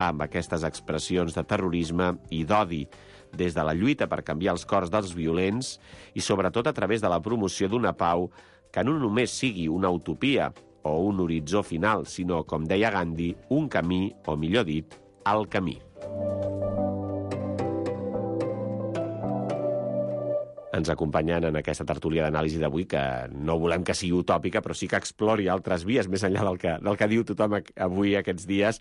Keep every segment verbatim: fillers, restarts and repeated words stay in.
amb aquestes expressions de terrorisme i d'odi, des de la lluita per canviar els cors dels violents i sobretot a través de la promoció d'una pau que no només sigui una utopia o un horitzó final, sinó, com deia Gandhi, un camí, o millor dit, el camí. Ens acompanyen en aquesta tertúlia d'anàlisi d'avui, que no volem que sigui utòpica, però sí que explori altres vies, més enllà del que, del que diu tothom avui aquests dies.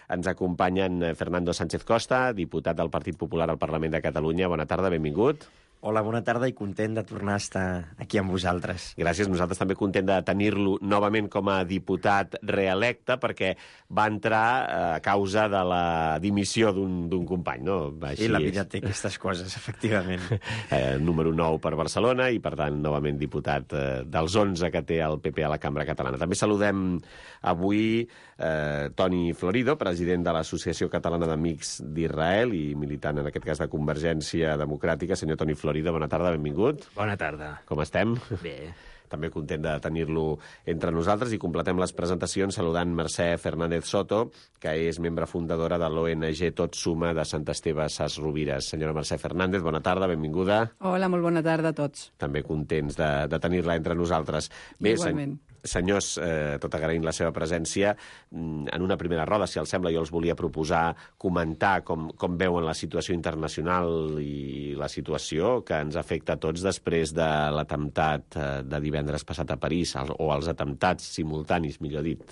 Ens acompanyen Fernando Sánchez Costa, diputat del Partit Popular al Parlament de Catalunya. Bona tarda, benvingut. Hola, bona tarda i content de tornar a estar aquí amb vosaltres. Gràcies, nosaltres també content de tenir-lo novament com a diputat reelecte, perquè va entrar a causa de la dimissió d'un company, no? Així sí, la vida té aquestes coses, efectivament. eh, número nou per Barcelona i, per tant, novament diputat eh, dels onze que té el P P a la Cambra Catalana. També saludem avui eh, Toni Florido, president de l'Associació Catalana d'Amics d'Israel i militant, en aquest cas, de Convergència Democràtica. Senyor Toni Florido, Florida, bona tarda, benvingut. Bona tarda. Com estem? Bé. També content de tenir-lo entre nosaltres i completem les presentacions saludant Mercè Fernández Soto, que és membre fundadora de l'O N G Tot Suma de Sant Esteve Sas Rovires. Senyora Mercè Fernández, bona tarda, benvinguda. Hola, molt bona tarda a tots. També contents de, de tenir-la entre nosaltres. Bé, igualment. Sen senyors, eh, tot agraint la seva presència, en una primera roda, si els sembla, jo els volia proposar comentar com, com veuen la situació internacional i la situació que ens afecta a tots després de l'atemptat de divendres passat a París, o els atemptats simultanis, millor dit.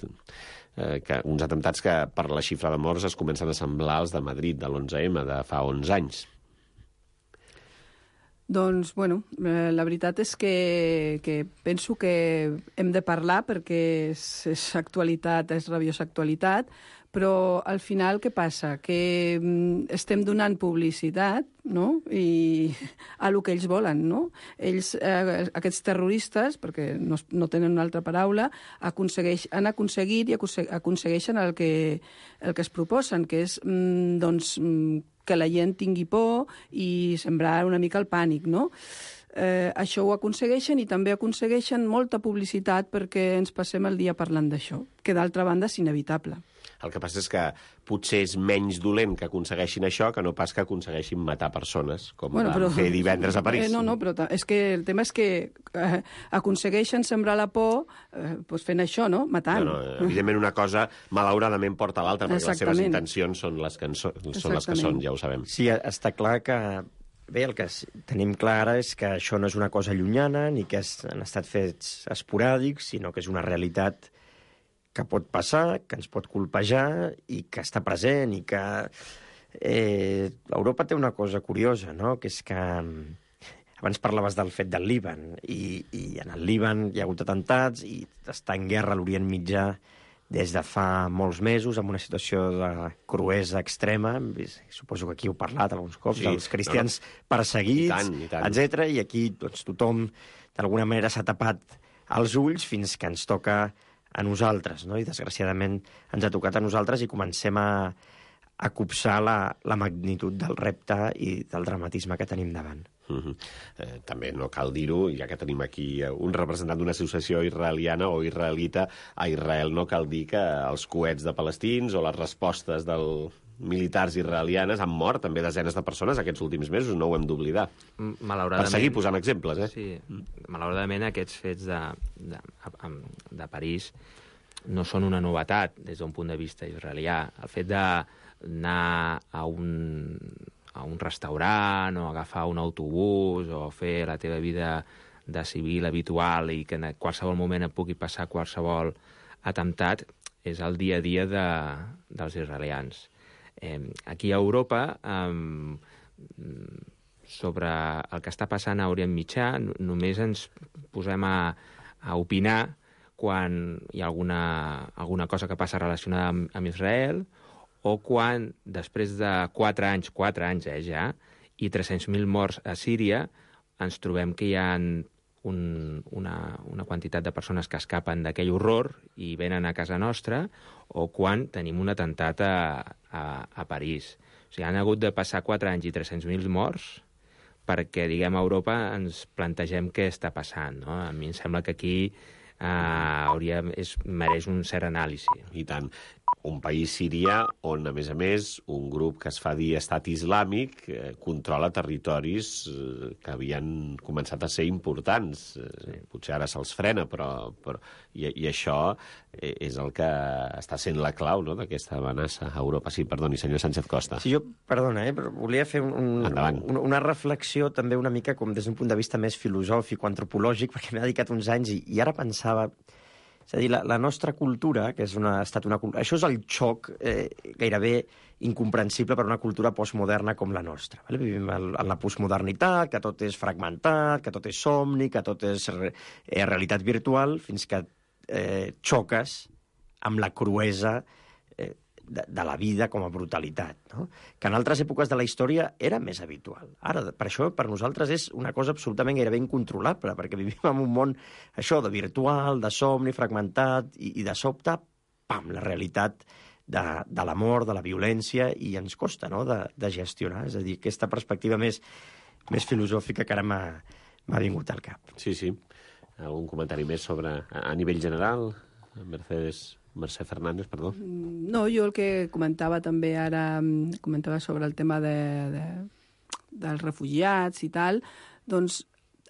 Eh, que, uns atemptats que, per la xifra de morts, es comencen a semblar als de Madrid, de l'onze eme, de fa onze anys. Doncs, bueno, eh, la veritat és que, que penso que hem de parlar perquè és, és actualitat, és rabiosa actualitat, però al final què passa? Que mm, estem donant publicitat, no?, i a lo que ells volen, no? Ells, eh, aquests terroristes, perquè no, no tenen una altra paraula, aconsegueix, han aconseguit i aconsegueixen el que, el que es proposen, que és, mm, doncs, mm, que la gent tingui por i sembrar una mica el pànic, no? Eh, això ho aconsegueixen i també aconsegueixen molta publicitat perquè ens passem el dia parlant d'això, que d'altra banda és inevitable. El que passa és que potser és menys dolent que aconsegueixin això que no pas que aconsegueixin matar persones, com bueno, van però, fer divendres a París. Eh, no, no, però és que el tema és que eh, aconsegueixen sembrar la por eh, doncs fent això, no? Matant. No, no, evidentment una cosa, malauradament, porta a l'altra, perquè les seves intencions són les que, so, són les que són, ja ho sabem. Sí, està clar que... Bé, el que tenim clar ara és que això no és una cosa llunyana, ni que han estat fets esporàdics, sinó que és una realitat que pot passar, que ens pot colpejar i que està present i que... Eh, Europa té una cosa curiosa, no?, que és que... Abans parlaves del fet del Líban, i, i en el Líban hi ha hagut atemptats i està en guerra a l'Orient Mitjà des de fa molts mesos, amb una situació de cruesa extrema. Suposo que aquí heu parlat alguns cops, sí, dels cristians no, no. perseguits, I tant, i tant. etcètera. I aquí doncs, tothom, d'alguna manera, s'ha tapat els ulls fins que ens toca a nosaltres, no? I desgraciadament ens ha tocat a nosaltres i comencem a, a copsar la, la magnitud del repte i del dramatisme que tenim davant. Uh-huh. eh, també no cal dir-ho, ja que tenim aquí un representant d'una associació israeliana o israelita, a Israel no cal dir que els coets de palestins o les respostes dels militars israelianes han mort també desenes de persones aquests últims mesos, no ho hem d'oblidar. Per seguir posant exemples, eh? Sí, malauradament aquests fets de, de, de París no són una novetat des d'un punt de vista israelià. El fet d'anar a un... a un restaurant o agafar un autobús o fer la teva vida de civil habitual i que en qualsevol moment et pugui passar qualsevol atemptat és el dia a dia de, dels israelians. Eh, aquí a Europa, eh, sobre el que està passant a Orient Mitjà, només ens posem a, a opinar quan hi ha alguna, alguna cosa que passa relacionada amb, amb Israel, o quan, després de quatre anys, quatre anys eh, ja, i tres-cents mil morts a Síria, ens trobem que hi ha un, una, una quantitat de persones que escapen d'aquell horror i venen a casa nostra, o quan tenim un atemptat a, a, a París. O sigui, han hagut de passar quatre anys i tres-cents mil morts perquè, diguem, a Europa ens plantegem què està passant, no? A mi em sembla que aquí Uh, hauria, és, mereix un cert anàlisi. I tant. un país Síria on, a més a més, un grup que es fa dir Estat Islàmic eh, controla territoris eh, que havien començat a ser importants. Eh, sí. Potser ara se'ls frena, però... però i, I això és el que està sent la clau, no?, d'aquesta amenaça a Europa. Sí, perdoni, senyor Sánchez Costa. Sí, jo, perdona, eh, però volia fer un, un, una reflexió també una mica com des d'un punt de vista més filosòfic o antropològic, perquè m'he dedicat uns anys i, i ara pensava... És a dir, la, la nostra cultura, que és una, ha estat una cultura... Això és el xoc eh, gairebé incomprensible per una cultura postmoderna com la nostra. Vale? Vivim en la postmodernitat, que tot és fragmentat, que tot és somni, que tot és re, eh, realitat virtual, fins que eh, xoques amb la cruesa eh, de, de la vida com a brutalitat, no? Que en altres èpoques de la història era més habitual. Ara, per això, per nosaltres és una cosa absolutament gairebé incontrolable, perquè vivim en un món, això, de virtual, de somni, fragmentat, i, i de sobte, pam, la realitat de, de la mort, de la violència, i ens costa, no?, de, de gestionar. És a dir, aquesta perspectiva més, més filosòfica que ara m'ha vingut al cap. Sí, sí. Algun comentari més sobre, a, a nivell general, Mercedes... Mercè Fernández, perdó. No, jo el que comentava també ara, comentava sobre el tema de, de, dels refugiats i tal, doncs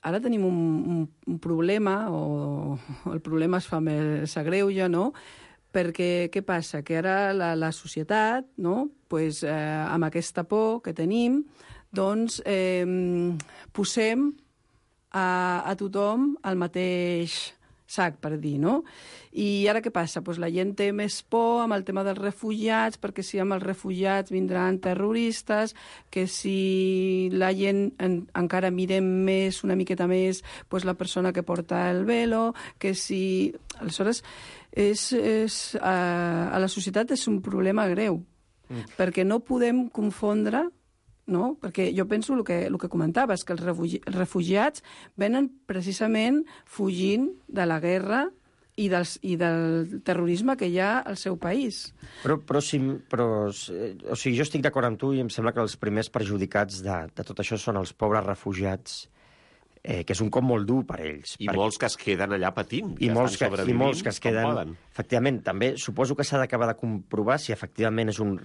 ara tenim un, un, un problema, o, o el problema es fa més s'agreuja, no?, perquè què passa? Que ara la, la societat, no?, pues, eh, amb aquesta por que tenim, doncs eh, posem a, a tothom al mateix sac, per dir, no? I ara què passa? Pues la gent té més por amb el tema dels refugiats, perquè si amb els refugiats vindran terroristes, que si la gent en, encara mirem més, una miqueta més, pues la persona que porta el velo, que si... Aleshores, és, és, a, a la societat és un problema greu, mm. perquè no podem confondre, no? Perquè jo penso el que, el que comentaves, que els refugi, refugiats venen precisament fugint de la guerra i, dels, i del terrorisme que hi ha al seu país. Però, però, si, però o sigui, jo estic d'acord amb tu i em sembla que els primers perjudicats de, de tot això són els pobres refugiats, eh, que és un cop molt dur per ells. I perquè... molts que es queden allà patint, I que molts estan que, sobrevivint, i molts que es queden... Efectivament, també suposo que s'ha d'acabar de comprovar si efectivament és un...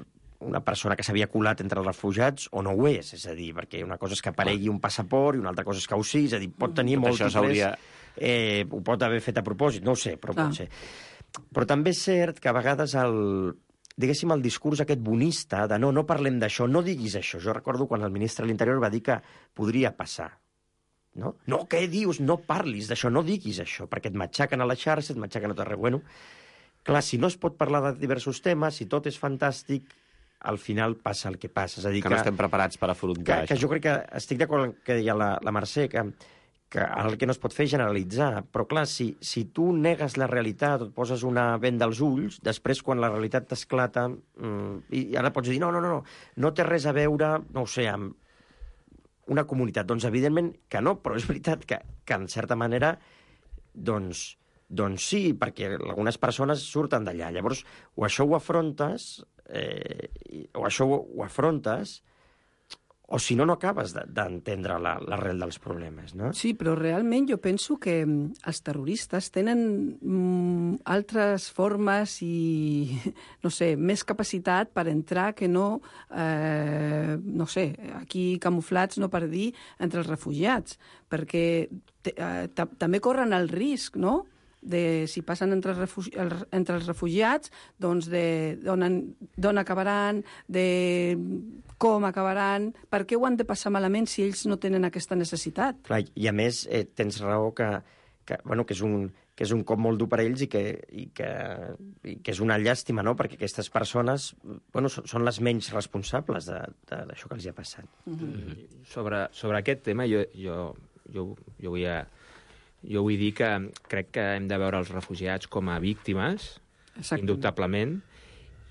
una persona que s'havia colat entre els refugiats o no ho és, és a dir, perquè una cosa és que aparegui un passaport i una altra cosa és que ho sigui, és a dir, pot tenir Tot múltiples... hauria... Eh, ho pot haver fet a propòsit, no ho sé, però ah. pot ser. Però també és cert que a vegades el, diguéssim, el discurs aquest bonista de no, no parlem d'això, no diguis això. Jo recordo quan el ministre de l'Interior va dir que podria passar. No, no, què dius? No parlis d'això, no diguis això, perquè et matxaquen a la xarxa, et matxaquen a tot arreu. Bueno, clar, si no es pot parlar de diversos temes, si tot és fantàstic, al final passa el que passa. És a dir, que, que no estem preparats per afrontar que, això. Que jo crec que estic d'acord amb el que deia la, la Mercè, que, que el que no es pot fer és generalitzar. Però clar, si, si tu negues la realitat o et poses una venda als ulls, després quan la realitat t'esclata, mmm, i ara pots dir, no, no, no, no té res a veure, no ho sé, amb una comunitat. Doncs evidentment que no, però és veritat que, que en certa manera, doncs, doncs sí, perquè algunes persones surten d'allà. Llavors, o això ho afrontes, eh, o això ho, ho afrontes, o si no, no acabes d'entendre de, l'arrel dels problemes, no? Sí, però realment jo penso que els terroristes tenen mm, altres formes i, no sé, més capacitat per entrar que no, eh, no sé, aquí camuflats, no per dir, entre els refugiats, perquè eh, també corren el risc, no?, de si passen entre els, refugi, entre els refugiats, doncs d'on acabaran, de com acabaran, per què ho han de passar malament si ells no tenen aquesta necessitat. Clar, i a més eh, tens raó que, que, bueno, que, és un, que és un cop molt dur per ells i que, i que, i que és una llàstima, no?, perquè aquestes persones bueno, són, són les menys responsables d'això que els hi ha passat. Mm-hmm. sobre, sobre aquest tema jo, jo, jo, jo vull a... Jo vull dir que crec que hem de veure els refugiats com a víctimes, Exacte. indubtablement,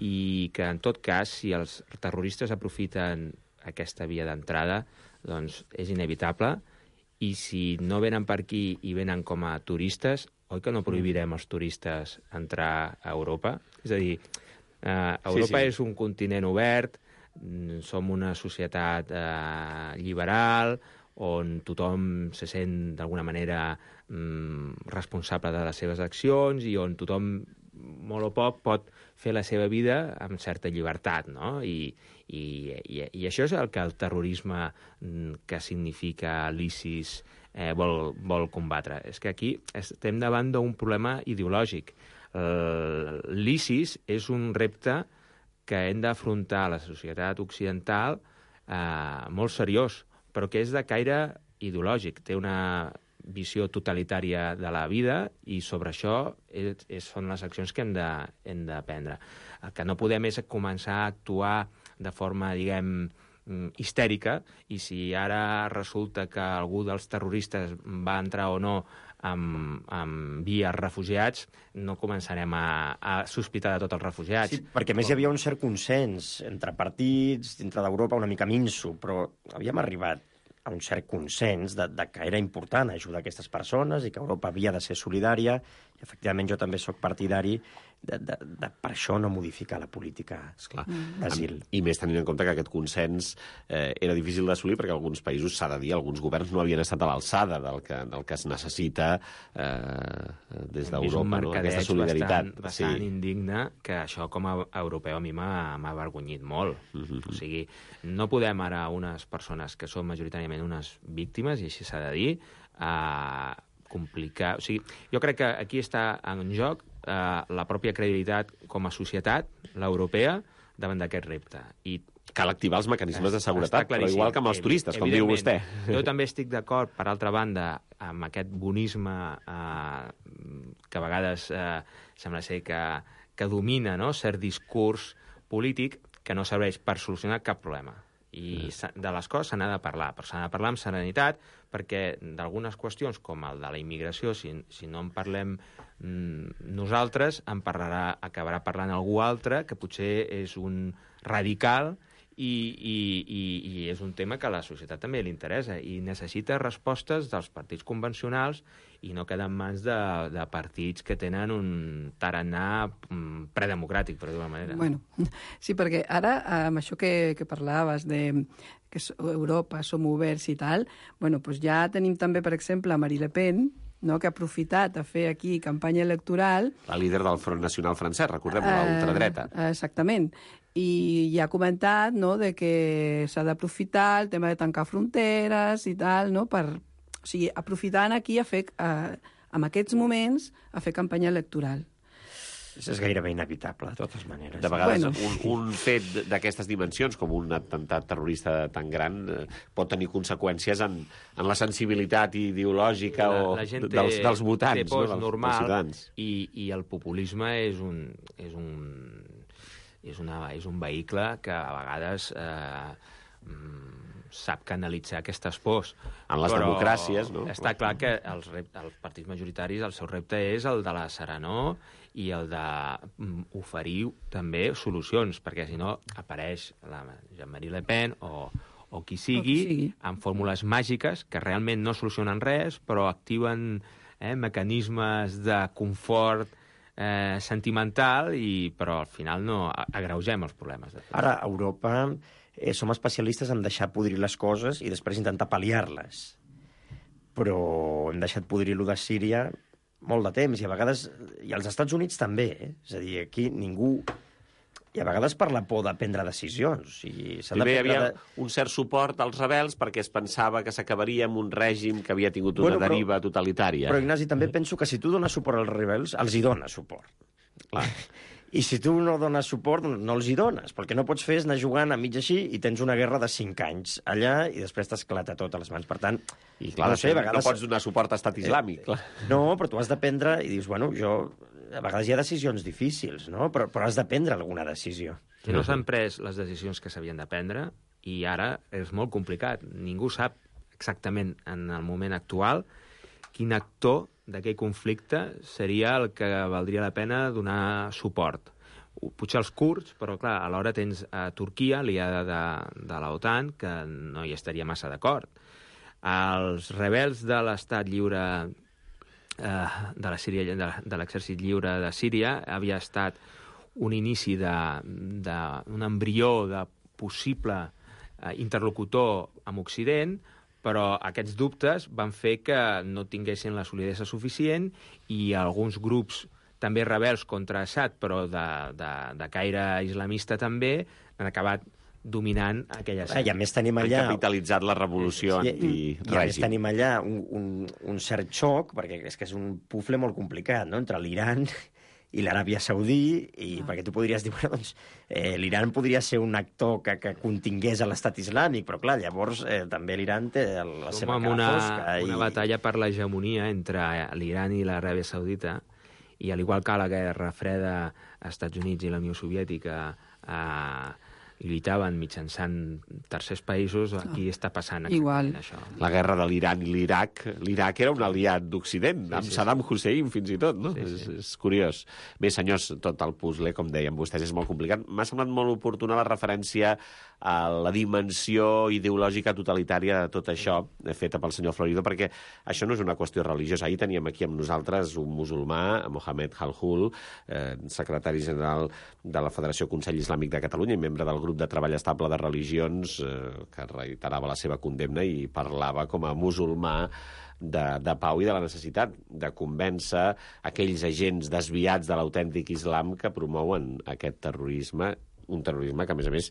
i que, en tot cas, si els terroristes aprofiten aquesta via d'entrada, doncs és inevitable, i si no venen per aquí i venen com a turistes, oi que no prohibirem als turistes entrar a Europa? És a dir, eh, Europa sí, sí. és un continent obert, som una societat eh, liberal, on tothom se sent d'alguna manera mm, responsable de les seves accions i on tothom molt o poc, pot fer la seva vida amb certa llibertat, no? I, i, i, i això és el que el terrorisme que significa l'ISIS eh, vol, vol combatre. És que aquí estem davant d'un problema ideològic. L'ISIS és un repte que hem d'afrontar a la societat occidental eh, molt seriós, però que és de caire ideològic. Té una visió totalitària de la vida i sobre això és, és, són les accions que hem de, hem de prendre. El que no podem és començar a actuar de forma, diguem, histèrica, i si ara resulta que algú dels terroristes va entrar o no amb, amb vies refugiats, no començarem a, a sospitar de tots els refugiats. Sí, perquè més hi havia un cert consens entre partits, dintre d'Europa, una mica minso, però havíem arribat a un cert consens de, de que era important ajudar aquestes persones i que Europa havia de ser solidària. I, efectivament, jo també sóc partidari de, de, de per això no modificar la política d'asil. I més tenint en compte que aquest consens eh, era difícil d'assolir perquè alguns països, s'ha de dir, alguns governs no havien estat a l'alçada del, que, del que es necessita eh, des d'Europa, no? Aquesta solidaritat. Bastant, bastant sí. indigne, que això com a europeu a mi m'ha avergonyit molt. Mm-hmm. O sigui, no podem ara unes persones que són majoritàriament unes víctimes, i així s'ha de dir, a complicar... O sigui, jo crec que aquí està en joc eh, la pròpia credibilitat com a societat, l'europea, davant d'aquest repte. I cal activar els mecanismes de seguretat, però igual que amb els turistes, com diu vostè. Jo també estic d'acord, per altra banda, amb aquest bonisme eh, que a vegades eh, sembla ser que, que domina, no?, cert discurs polític que no serveix per solucionar cap problema. I de les coses se n'ha de parlar, però s'ha de parlar amb serenitat, perquè d'algunes qüestions, com el de la immigració, si, si no en parlem mm, nosaltres, en parlarà, acabarà parlant algú altre, que potser és un radical, i, i, i, i és un tema que a la societat també li interessa, i necessita respostes dels partits convencionals i no quedar en mans de, de partits que tenen un tarannà predemocràtic, per dir-ho d'una manera. Bueno, sí, perquè ara, amb això que, que parlaves de que Europa som oberts i tal, bueno, doncs ja tenim també, per exemple, Marine Le Pen, no?, que ha aprofitat a fer aquí campanya electoral. La líder del Front Nacional francès, recordem-ho, uh, l'ultradreta. Exactament. I ja ha comentat, no?, de que s'ha d'aprofitar el tema de tancar fronteres i tal, no?, per... O sigui, aprofitant aquí a fer, uh, en aquests moments, a fer campanya electoral. Això és gairebé inevitable, de totes maneres. De vegades, bueno. un, un fet d'aquestes dimensions, com un atemptat terrorista tan gran, eh, pot tenir conseqüències en, en la sensibilitat ideològica la, o la gent té, dels, dels votants, té pors no? dels, normal, dels ciutadans. I, i el populisme és un, és un, és una, és un vehicle que a vegades eh, sap canalitzar aquestes pors. En les Però democràcies, no? Està clar que els, rep, els partits majoritaris, el seu repte és el de la serenor i el d'oferir també solucions, perquè si no apareix la Jean-Marie Le Pen o, o qui sigui, o qui sigui amb fórmules màgiques que realment no solucionen res, però activen eh, mecanismes de confort eh, sentimental, i, però al final no agreugem els problemes. De Ara, a Europa eh, som especialistes en deixar podrir les coses i després intentar pal·liar-les. Però hem deixat podrir-lo de Síria molt de temps, i a vegades... I als Estats Units també, eh? És a dir, aquí ningú... I a vegades per la por de prendre decisions. O sigui, Primer hi havia de... un cert suport als rebels perquè es pensava que s'acabaria amb un règim que havia tingut una bueno, però, deriva totalitària. Però, Ignasi, també penso que si tu dones suport als rebels, els hi dones suport. Clar. I si tu no dones suport, no els hi dones. Perquè no pots fer és anar jugant a mig així i tens una guerra de cinc anys allà i després t'esclata tot a les mans. Per tant, I clar, no, sé, a vegades... no pots donar suport a Estat Islàmic. Eh, clar. No, però tu has de prendre i dius, bueno, jo... A vegades hi ha decisions difícils, no? Però, però has de prendre alguna decisió. Si no s'han pres les decisions que s'havien de prendre, i ara és molt complicat. Ningú sap exactament en el moment actual quin actor d'aquell conflicte seria el que valdria la pena donar suport. Potser els kurds, però clar, alhora tens a Turquia, aliada de, de l'OTAN, que no hi estaria massa d'acord. Els rebels de l'Estat Lliure de la Síria, de, de l'exèrcit lliure de Síria, havia estat un inici d'un embrió de possible eh, interlocutor amb Occident, però aquests dubtes van fer que no tinguessin la solidesa suficient i alguns grups també rebels contra Assad, però de, de, de caire islamista també, han acabat dominant aquella escena. I a més tenim allà... Han capitalitzat la revolució sí, antirègim. I a més tenim allà un, un, un cert xoc, perquè és que és un pufle molt complicat, no?, entre l'Iran i l'Aràbia Saudí, i ah. perquè tu podries dir, bueno, doncs, eh, l'Iran podria ser un actor que, que contingués a l'estat islàmic, però clar, llavors eh, també l'Iran té la Som seva cara una, fosca. una i... batalla per l'hegemonia entre l'Iran i l'Aràbia Saudita, i al igual que la Guerra Freda als Estats Units i la Unió Soviètica eh, lluitaven mitjançant tercers països, aquí està passant Igual. això. La guerra de l'Iran i l'Iraq. L'Iraq era un aliat d'Occident, sí, amb sí, Saddam Hussein fins i tot, no? Sí, sí. És, és curiós. Bé, senyors, tot el puzzle, com deien vostès, és molt complicat. M'ha semblat molt oportuna la referència a la dimensió ideològica totalitària de tot això, feta pel senyor Florido, perquè això no és una qüestió religiosa. Ahir teníem aquí amb nosaltres un musulmà, Mohamed Halhul, eh, secretari general de la Federació Consell Islàmic de Catalunya i membre del grup de treball estable de religions, eh, que reiterava la seva condemna i parlava com a musulmà de, de pau i de la necessitat de convèncer aquells agents desviats de l'autèntic islam que promouen aquest terrorisme, un terrorisme que, a més a més,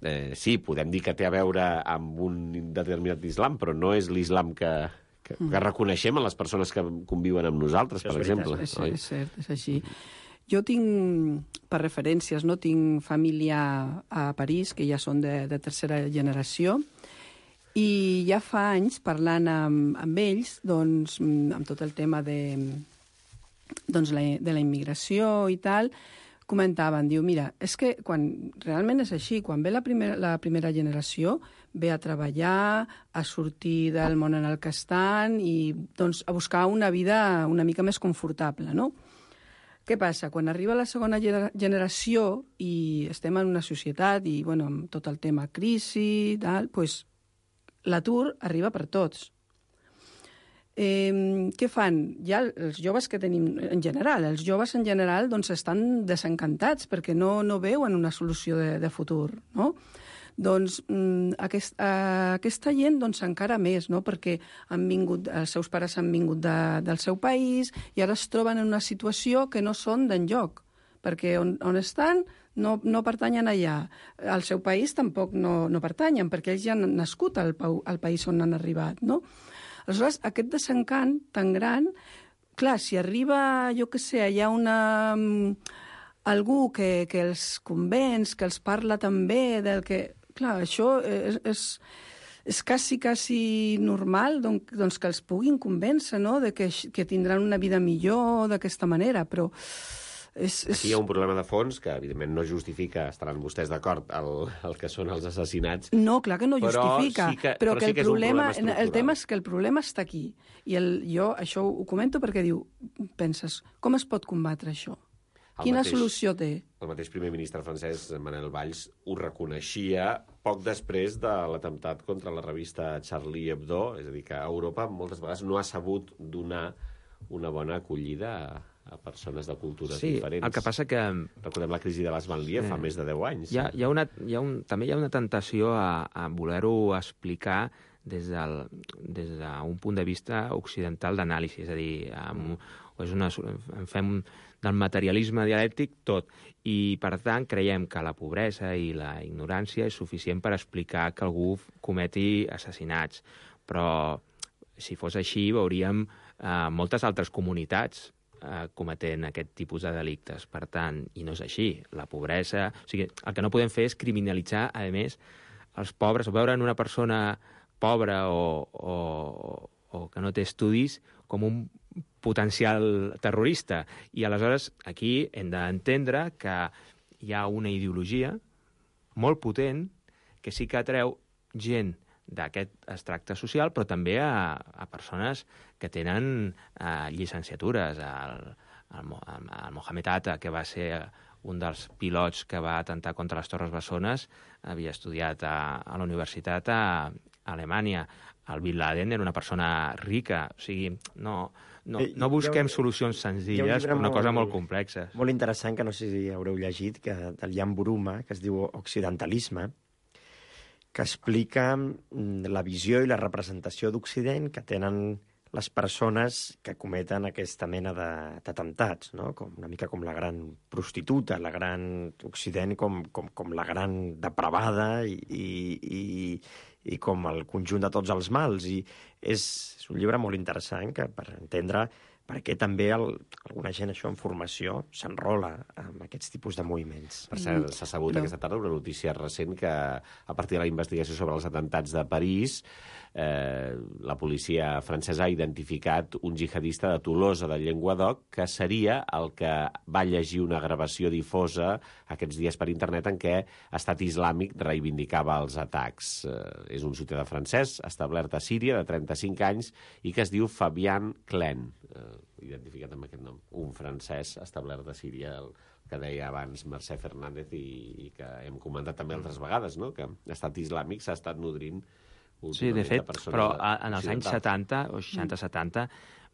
eh, sí, podem dir que té a veure amb un determinat islam, però no és l'islam que, que, que reconeixem en les persones que conviuen amb nosaltres, per exemple. És, és cert, és així. Jo tinc, per referències, no tinc família a París, que ja són de, de tercera generació, i ja fa anys, parlant amb, amb ells, doncs, amb tot el tema de, doncs, la, de la immigració i tal, comentaven, diu, mira, és que quan realment és així, quan ve la primera, la primera generació, ve a treballar, a sortir del món en el que estan i doncs, a buscar una vida una mica més confortable, no? Què passa? Quan arriba la segona generació i estem en una societat i, bueno, amb tot el tema crisi, tal, doncs l'atur arriba per tots. Eh, què fan? Ja els joves que tenim en general, els joves en general doncs estan desencantats perquè no, no veuen una solució de, de futur, no? Doncs aquest, eh, aquesta gent doncs, encara més, no? Perquè han vingut, els seus pares han vingut de, del seu país i ara es troben en una situació que no són d'enlloc, perquè on, on estan no, no pertanyen allà. Al seu país tampoc no, no pertanyen, perquè ells ja han nascut al, al país on han arribat, no? Aleshores, aquest desencant tan gran, clar, si arriba, jo què sé, hi ha una... algú que, que els convenç, que els parla també del que... Clar, això és, és, és quasi, quasi normal doncs, doncs que els puguin convèncer, no?, de que, que tindran una vida millor d'aquesta manera, però... És, és... Aquí hi ha un problema de fons que, evidentment, no justifica, estaran vostès d'acord, el, el que són els assassinats. No, clar que no justifica, però sí que, però, però que sí que el, problema, és un problema el tema és que el problema està aquí. I el, jo això ho comento perquè diu, penses, com es pot combatre això? El Quina mateix, solució té? El mateix primer ministre francès, Manuel Valls, ho reconeixia poc després de l'atemptat contra la revista Charlie Hebdo, és a dir, que Europa moltes vegades no ha sabut donar una bona acollida a, a persones de cultures sí, diferents. El que passa que... Recordem la crisi de les Banlieues eh, fa més de deu anys. Hi ha, hi ha una, hi ha un, també hi ha una tentació a, a voler-ho explicar des del, des d'un punt de vista occidental d'anàlisi, és a dir, amb, és una, en fem del materialisme dialèctic tot, i per tant creiem que la pobresa i la ignorància és suficient per explicar que algú cometi assassinats, però si fos així veuríem eh, moltes altres comunitats eh, cometent aquest tipus de delictes, per tant, i no és així, la pobresa... O sigui, el que no podem fer és criminalitzar, a més, els pobres, o veure en una persona pobra o, o, o que no té estudis com un potencial terrorista. I aleshores aquí hem d'entendre que hi ha una ideologia molt potent que sí que atreu gent d'aquest extracte social, però també a, a persones que tenen eh, llicenciatures. El, el, el Mohamed Atta, que va ser un dels pilots que va atentar contra les Torres Bessones, havia estudiat a, a la universitat a, a Alemanya. El Bin Laden era una persona rica. O sigui, no, no, no busquem solucions senzilles per una cosa molt complexa. Molt interessant, que no sé si haureu llegit, que del Jan Buruma, que es diu Occidentalisme, que explica la visió i la representació d'Occident que tenen les persones que cometen aquesta mena d'atemptats, no? Com, una mica com la gran prostituta, la gran Occident com, com, com la gran depravada i, i, i, i com el conjunt de tots els mals. I és, és un llibre molt interessant que, per entendre per què també el, alguna gent això en formació s'enrola amb aquests tipus de moviments. Per cert, s'ha sabut no. aquesta tarda una notícia recent que, a partir de la investigació sobre els atemptats de París, eh, la policia francesa ha identificat un jihadista de Tolosa, de Llenguadoc, que seria el que va llegir una gravació difosa aquests dies per internet en què Estat Islàmic reivindicava els atacs. Eh, és un ciutadà francès, establert a Síria, de trenta-cinc anys, i que es diu Fabian Klein, eh, identificat amb aquest nom, un francès establert a Síria, el que deia abans Mercè Fernández i, i que hem comentat també altres vegades, no? Que l'Estat Islàmic s'ha estat nodrint sí, de fet, de però en els anys setanta o seixanta setanta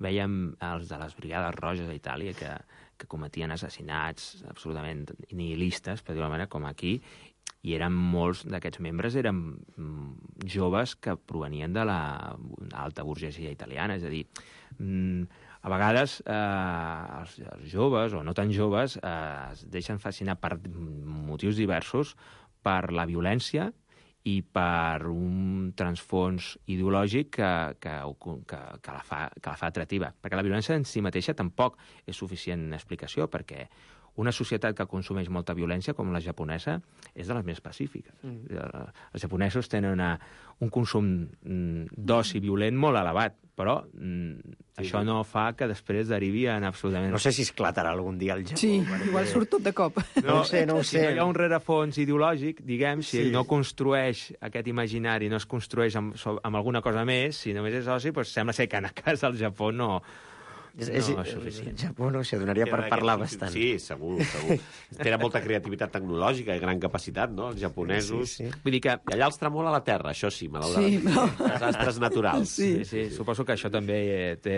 veiem els de les Brigades Roges a Itàlia que, que cometien assassinats absolutament nihilistes, per dir-ho d'alguna manera, com aquí, i eren molts d'aquests membres eren joves que provenien de l'alta burgesia italiana, és a dir, a vegades eh, els, els joves, o no tan joves, eh, es deixen fascinar per motius diversos, per la violència i per un transfons ideològic que, que, que, que, la fa, que la fa atractiva. Perquè la violència en si mateixa tampoc és suficient explicació, perquè una societat que consumeix molta violència, com la japonesa, és de les més pacífiques. Mm. Els japonesos tenen una, un consum d'oci violent molt elevat, però mm, sí, això no fa que després derivi en absolutament... No sé si esclatarà algun dia el Japó. Sí, perquè... igual surt tot de cop. No, no ho sé, no ho sé. Si no hi ha un rerefons ideològic, diguem, si sí. no construeix aquest imaginari, no es construeix amb, amb alguna cosa més, si només és oci, doncs sembla ser que en el cas del Japó no... És, és, no és suficient. El Japó, no sé, donaria per parlar bastant. Sí, segur, segur. Tenen molta creativitat tecnològica i gran capacitat, no?, els japonesos. Sí, sí. Vull dir que... I allà els tremola la terra, això sí, malauradament. Sí, però... Desastres naturals. Sí. Sí, sí, suposo que això també té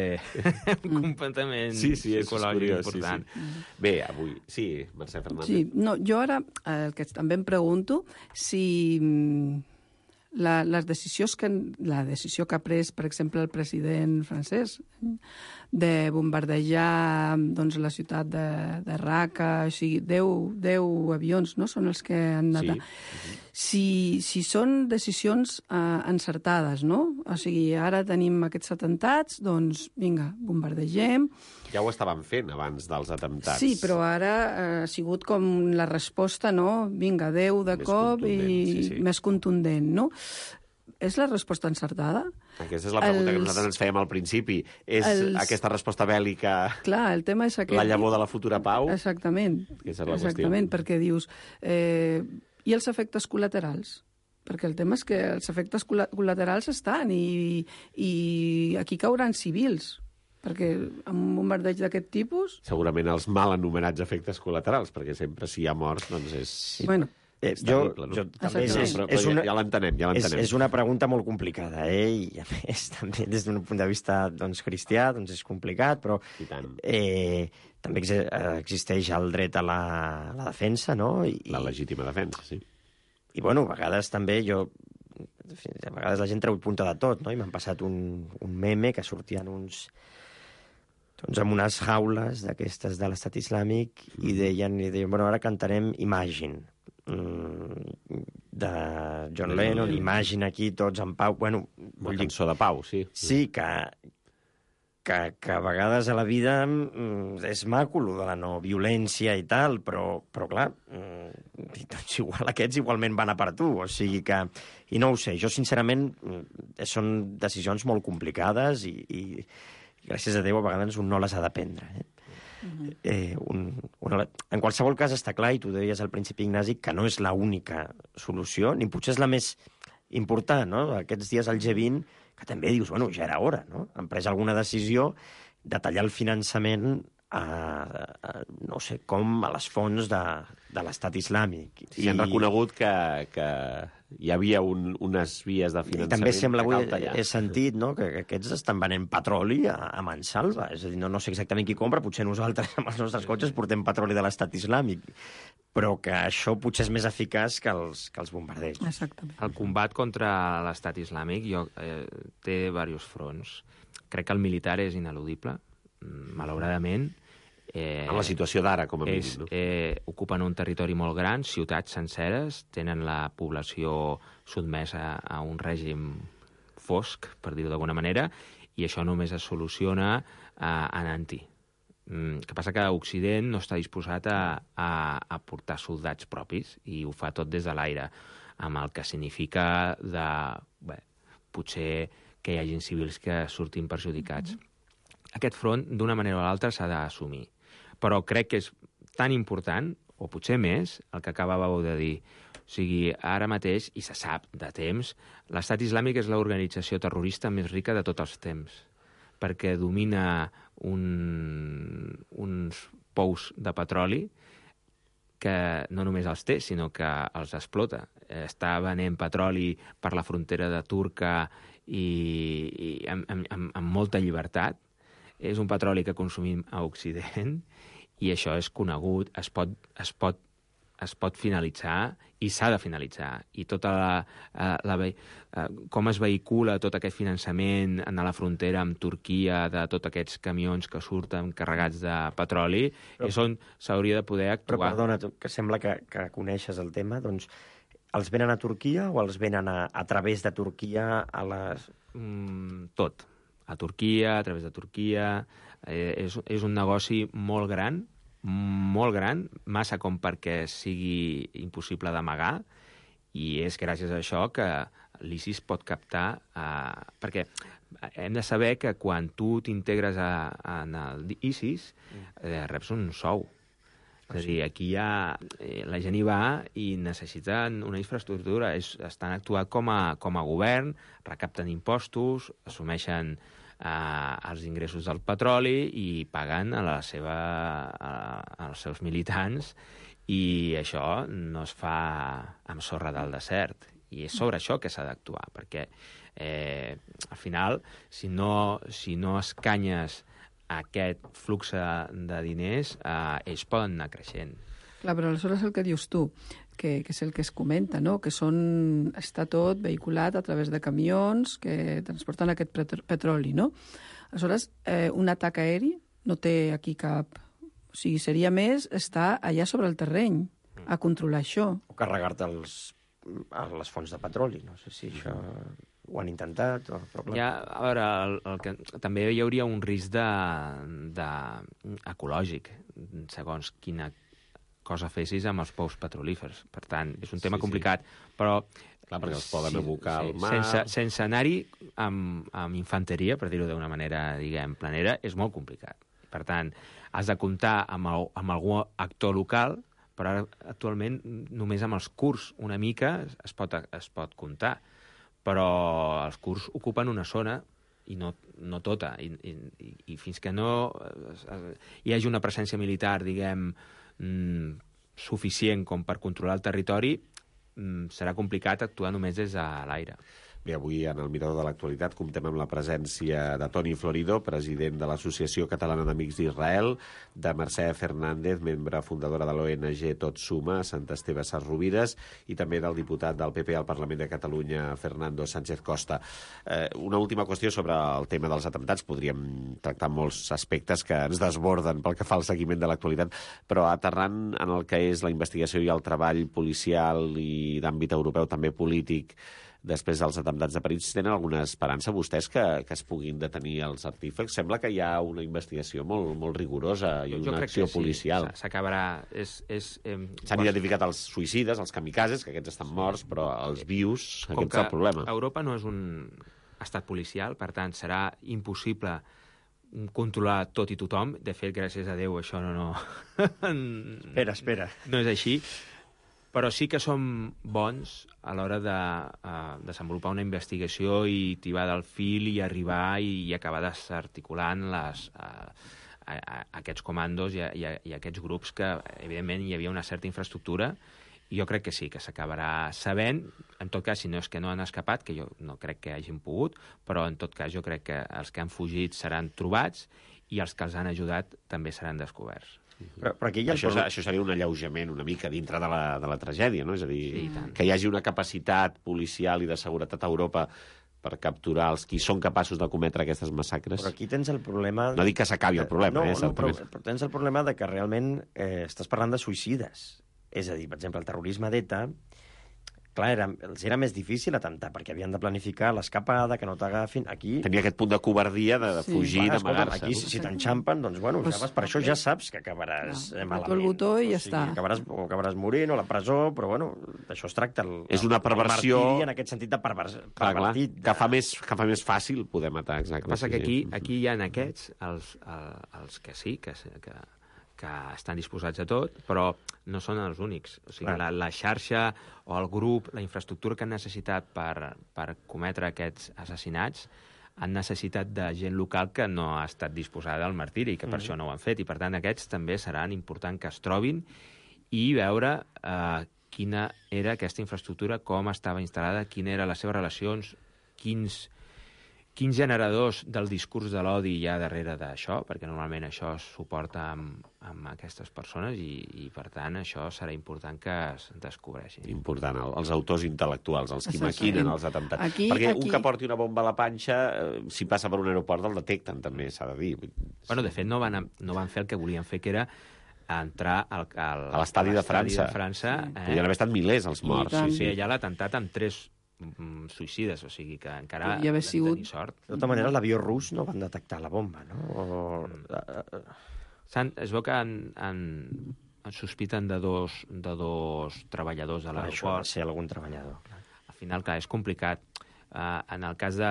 un completament sí, sí, psicològic curiós, important. Sí, sí. Bé, avui... Sí, Mercè Fernández. Sí, no, jo ara el que també em pregunto si... La, les decisions que, la decisió que ha pres, per exemple, el president francès de bombardejar doncs, la ciutat de, de Raqqa, o sigui, deu avions no? Són els que han anat... Sí. Si, si són decisions eh, encertades, no? O sigui, ara tenim aquests atemptats, doncs, vinga, bombardegem... Ja ho estaven fent abans dels atemptats. Sí, però ara eh, ha sigut com la resposta, no? Vinga, deu de més cop i sí, sí. més contundent, no? És la resposta encertada? Aquesta és la pregunta els... que nosaltres ens fèiem al principi. És els... aquesta resposta bèl·lica Clar, el tema és aquest... la llavor de la futura pau? Exactament. Aquesta és la Exactament, qüestió. perquè dius... Eh, I els efectes col·laterals? Perquè el tema és que els efectes col·laterals estan i, i aquí cauran civils. Perquè amb un bombardeig d'aquest tipus... Segurament els mal anomenats efectes col·laterals, perquè sempre si hi ha morts, doncs és... Bueno, Eh, jo, terrible, no? jo també és, és, però, és una, ja l'entenem, ja l'entenem. És, és una pregunta molt complicada, eh? I a més, també des d'un punt de vista doncs, cristià, doncs és complicat, però eh, també ex existeix el dret a la, a la defensa, no? I, la legítima defensa, sí. I, bueno, a vegades també jo... A vegades la gent treu punta de tot, no? I m'han passat un, un meme que sortien uns... doncs amb unes jaules d'aquestes de l'Estat Islàmic mm. i deien, i deien, bueno, ara cantarem Imagine, de John Lennon, Imagine aquí, tots en pau. Bueno, una cançó de pau, sí. Sí, que, que, que a vegades a la vida és maco, de la no violència i tal, però, però clar, doncs igual aquests igualment van a per tu, o sigui que... I no ho sé, jo sincerament són decisions molt complicades i, i gràcies a Déu a vegades un no les ha de prendre, eh? Uh-huh. eh, un, una, en qualsevol cas està clar, i tu deies al principi, Ignasi, que no és l'única solució, ni potser és la més important, no? Aquests dies al G vint, que també dius, bueno, ja era hora, no? Han pres alguna decisió de tallar el finançament a, a no sé com, a les fonts de, de l'Estat Islàmic. Sí, I han reconegut que, que hi havia un, unes vies de I finançament també sembla, que avui cal tallar. he sentit, no?, que, que aquests estan venent petroli a, a mansalva. És a dir, no, no sé exactament qui compra, potser nosaltres amb els nostres cotxes portem petroli de l'estat islàmic, però que això potser és més eficaç que els, que els bombardeigs. Exactament. El combat contra l'estat islàmic jo, eh, té diversos fronts. Crec que el militar és ineludible, malauradament. Eh, En la situació d'ara, com a mínim. és, No? eh, ocupen un territori molt gran, ciutats senceres, tenen la població sotmesa a un règim fosc, per dir-ho d'alguna manera, i això només es soluciona eh, anant-hi. El que passa que Occident no està disposat a, a, a portar soldats propis i ho fa tot des de l'aire, amb el que significa de, bé, potser que hi hagin civils que surtin perjudicats. Mm-hmm. Aquest front, d'una manera o l'altra, s'ha d'assumir. Però crec que és tan important, o potser més, el que acabàveu de dir. O sigui, ara mateix, i se sap de temps, l'Estat Islàmic és l'organització terrorista més rica de tots els temps, perquè domina un, uns pous de petroli que no només els té, sinó que els explota. Està venent petroli per la frontera de Turca i, i amb, amb, amb molta llibertat. És un petroli que consumim a Occident i això és conegut, es pot, es pot, es pot finalitzar i s'ha de finalitzar. I tota la, la, la, com es vehicula tot aquest finançament a la frontera amb Turquia de tots aquests camions que surten carregats de petroli, però, és on s'hauria de poder actuar. Però perdona, que sembla que, que coneixes el tema, doncs els venen a Turquia o els venen a, a través de Turquia a les... Mm, tot. A Turquia, a través de Turquia. Eh, és, és un negoci molt gran, molt gran, massa com perquè sigui impossible d'amagar, i és gràcies a això que l'ISIS pot captar... Eh, perquè hem de saber que quan tu t'integres en l'ISIS, eh, reps un sou. És a dir, aquí hi ha... Eh, la gent hi va i necessiten una infraestructura. És, estan actuant com a, com a govern, recapten impostos, assumeixen eh, els ingressos del petroli i paguen a la seva, a, als seus militants, i això no es fa amb sorra del desert. I és sobre això que s'ha d'actuar, perquè eh, al final, si no, si no escanyes aquest flux de diners, eh, ells poden anar creixent. Clar, però aleshores el que dius tu, que, que és el que es comenta, no? Que són, està tot vehiculat a través de camions que transporten aquest petroli, no? Aleshores, eh, un atac aeri no té aquí cap... O sigui, seria més estar allà sobre el terreny, a controlar això. O carregar-te els, les fonts de petroli, no sé si això ho han intentat. O... Però clar. Ja, a veure, el, el que, també hi hauria un risc de, de, ecològic, segons quina cosa fessis amb els pous petrolífers. Per tant, és un tema sí, complicat, sí. però... Clar, perquè els poden sí, abocar sí, al mar... Sense, sense anar-hi amb, amb infanteria, per dir-ho d'una manera, diguem, planera, és molt complicat. Per tant, has de comptar amb, el, amb algun actor local, però ara, actualment, només amb els kurds una mica es pot, es pot comptar. Però els kurds ocupen una zona i no, no tota. I, i, i fins que no hi hagi una presència militar, diguem, mm, suficient com per controlar el territori, mm, serà complicat actuar només des de l'aire. Bé, avui en el Mirador de l'Actualitat comptem amb la presència de Toni Florido, president de l'Associació Catalana d'Amics d'Israel, de Mercè Fernández, membre fundadora de l'O N G Tot Suma, a Sant Esteve Sesrovires, i també del diputat del P P al Parlament de Catalunya, Fernando Sánchez Costa. Eh, una última qüestió sobre el tema dels atemptats. Podríem tractar molts aspectes que ens desborden pel que fa al seguiment de l'actualitat, però aterrant en el que és la investigació i el treball policial i d'àmbit europeu, també polític, després dels atemptats de París, tenen alguna esperança vostès que, que es puguin detenir els artífex? Sembla que hi ha una investigació molt, molt rigorosa i jo, una jo acció sí, policial. S'acabarà... És, és, eh, S'han identificat els suïcides, els kamikazes, que aquests estan morts, però els vius, com aquest és el problema. Europa no és un estat policial, per tant, serà impossible controlar tot i tothom. De fet, gràcies a Déu, això no... no... espera, espera. No és així. Però sí que som bons a l'hora de uh, desenvolupar una investigació i tibar del fil i arribar i, i acabar desarticulant les, uh, a, a, aquests comandos i, a, i, a, i aquests grups que, evidentment, hi havia una certa infraestructura, i jo crec que sí, que s'acabarà sabent. en tot cas, si no és que no han escapat, que jo no crec que hagin pogut, però en tot cas jo crec que els que han fugit seran trobats i els que els han ajudat també seran descoberts. Però, però aquí hi ha Això, el... això seria un alleujament una mica dintre de la, de la tragèdia, no? És a dir, Sí, i tant. que hi hagi una capacitat policial i de seguretat a Europa per capturar els qui són capaços de cometre aquestes massacres. Però aquí tens el problema... No dic que s'acabi el problema, no, eh? No, però, Certament. però tens el problema de que realment eh, estàs parlant de suïcides. És a dir, per exemple, el terrorisme d'ETA, clar, era, els era més difícil atemptar, perquè havien de planificar l'escapada, que no t'agafin. Aquí... Tenia aquest punt de covardia de, de Sí. fugir, Clar, escolta'm, d'amagar-se. aquí, si, si t'enxampen, doncs, bueno, Pues, ja vas, per això ja saps que acabaràs No, eh, apreta malament. el botó i ja o sigui, està. Acabaràs, o acabaràs morint, o a la presó, però, bueno, d'això es tracta. El, És una perversió- El martiri en aquest sentit de pervers, Clar, clar, pervertit. que fa, més, que fa més fàcil poder matar, exacte. El que passa sí, que aquí, sí. aquí hi ha aquests, els, el- els que sí, que, que, que estan disposats a tot, però no són els únics. O sigui, Clar. la, la xarxa o el grup, la infraestructura que han necessitat per, per cometre aquests assassinats han necessitat de gent local que no ha estat disposada al martiri, que per Mm. això no ho han fet. I, per tant, aquests també seran important que es trobin i veure eh, quina era aquesta infraestructura, com estava instal·lada, quines eren les seves relacions, quins, quins generadors del discurs de l'odi hi ha darrere d'això, perquè normalment això es suporta amb, amb aquestes persones i, i, per tant, això serà important que es descobreixi. Important, el, els autors intel·lectuals, els qui Exactament. maquinen els atemptats. Aquí- Perquè aquí- un que porti una bomba a la panxa, eh, si passa per un aeroport, el detecten, també, s'ha de dir. Bueno, de fet, no van, no van fer el que volien fer, que era entrar al, al, A l'estadi de França. de França Sí. Podrien haver estat milers els morts. I tant. Sí, fer sí. allà l'atemptat amb tres mm, suïcides, o sigui que encara Podria haver vam sigut- tenir sort. De tota manera, l'avió rus no van detectar la bomba, no? O... Mm. S'han- Es veu que han, han, en sospiten de dos, de dos treballadors de Això va l'aeroport. ser algun treballador. Al final, clar, és complicat. Uh, en el cas de,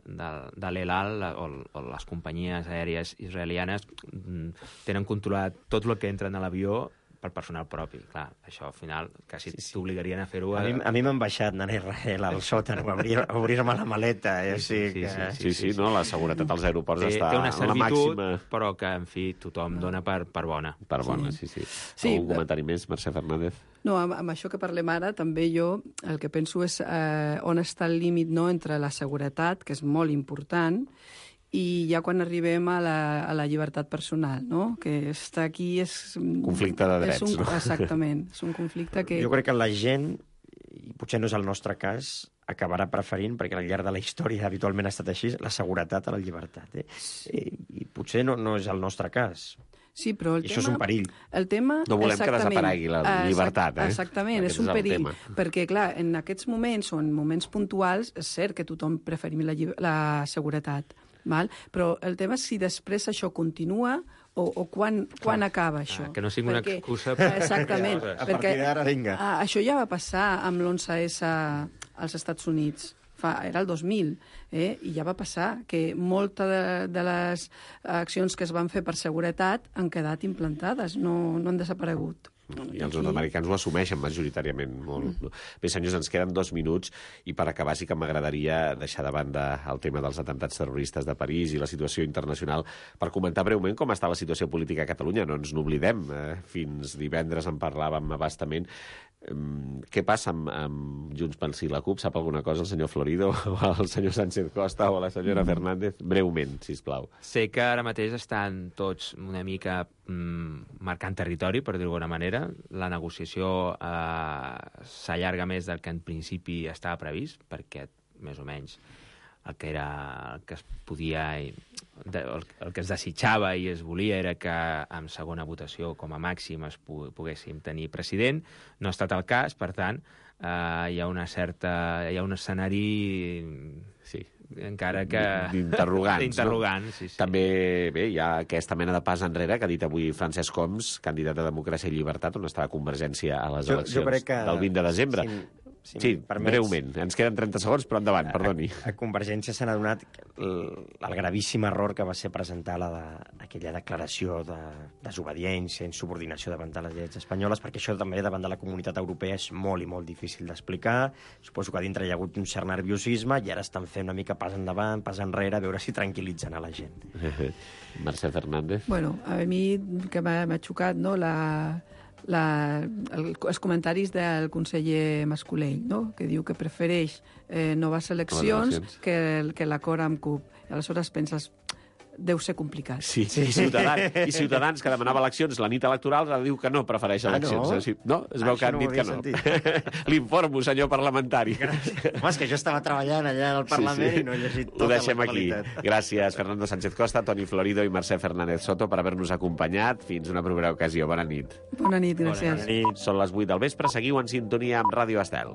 de, de l'El Al o, o les companyies aèries israelianes mm, tenen controlat tot el que entra en l'avió pel personal propi. Clar, això al final quasi Sí, sí. t'obligarien a fer-ho... A mi, a mi m'han baixat anar a Israel al sòtan, o obrir- obrir-me la maleta. Eh? Sí, Sí, sí, que... sí, Sí, sí, no? La seguretat als aeroports té, està té una a la servitud, màxima. però que, en fi, tothom dona per, per bona. Per bona, sí, sí. Sí, Algun eh, comentari més, Mercè Fernández? No, amb, amb això que parlem ara, també jo el que penso és eh, on està el límit, no?, entre la seguretat, que és molt important, i ja quan arribem a la, a la llibertat personal, no?, que està aquí és... Conflicte de drets, és un, no? Exactament, és un conflicte que... Jo crec que la gent, i potser no és el nostre cas, acabarà preferint, perquè al llarg de la història habitualment ha estat així, la seguretat a la llibertat. Eh? I, i potser no, no és el nostre cas. Sí, però el I tema... això és un perill. El tema... No volem que exactament, desaparegui la exact- llibertat, eh? Exactament, Aquest és un és el perill. tema. Perquè, clar, en aquests moments o en moments puntuals, és cert que tothom preferim la, lli- la seguretat, val? Però el tema és si després això continua o, o quan, quan acaba això. que no sigui una excusa per... Exactament. A perquè, partir d'ara, vinga. ah, això ja va passar amb l'onze esse als Estats Units. Fa, era el dos mil, eh? I ja va passar que molta de, de les accions que es van fer per seguretat han quedat implantades, no, no han desaparegut. I els nord-americans ho assumeixen majoritàriament molt. Mm. Bé, senyors, ens queden dos minuts i per acabar sí que m'agradaria deixar de banda el tema dels atemptats terroristes de París i la situació internacional per comentar breument com està la situació política a Catalunya. No ens n'oblidem. Eh? Fins divendres en parlàvem abastament. Um, què passa amb, amb Junts pel Sí i la CUP? Sap alguna cosa el senyor Florido o el senyor Sánchez Costa o la senyora Fernández? Breument, sisplau. Sé que ara mateix estan tots una mica mm, marcant territori, per dir-ho d'alguna manera. La negociació eh, s'allarga més del que en principi estava previst, perquè més o menys el que era el que es podia el, el que es desitjava i es volia era que en segona votació com a màxim es poguéssim tenir president. No ha estat el cas, per tant, eh, hi ha una certa hi ha un escenari sí, encara que... D'interrogants, D'interrogants, no? sí, sí. També, bé, hi ha aquesta mena de pas enrere que ha dit avui Francesc Homs, candidat a Democràcia i Llibertat, on estava Convergència a les Jo- jo eleccions crec que- del vint de desembre. si- si sí, em permets- breument. Ens queden trenta segons, però endavant, perdoni. A, a Convergència s'ha adonat el, el gravíssim error que va ser presentar la de, aquella declaració de desobediència, insubordinació davant de les lleis espanyoles, perquè això també davant de la comunitat europea és molt i molt difícil d'explicar. Suposo que a dintre hi ha hagut un cert nerviosisme i ara estan fent una mica pas endavant, pas enrere, a veure si tranquil·litzen a la gent. Mercè Fernández. Bueno, a mi que m'ha m'ha xocat, no?, la, la, el, els comentaris del conseller Mascolell, no? Que diu que prefereix eh, noves eleccions eleccions. que, que l'acord amb C U P. I aleshores penses, deu ser complicat. Sí, sí. I, Ciutadans, I Ciutadans, que demanava eleccions la nit electoral, ara diu que no prefereix eleccions. Ah, no? no? Es veu Ah, que han no dit que no. L'informo, senyor parlamentari. Home, és que jo estava treballant allà al Parlament sí, sí. i no he llegit tota Ho deixem la aquí. Gràcies, Fernando Sánchez Costa, Toni Florido i Mercè Fernández Soto, per haver-nos acompanyat. Fins una propera ocasió. Bona nit. Bona nit, gràcies. Bona nit. Són les vuit del vespre. Seguiu en sintonia amb Ràdio Estel.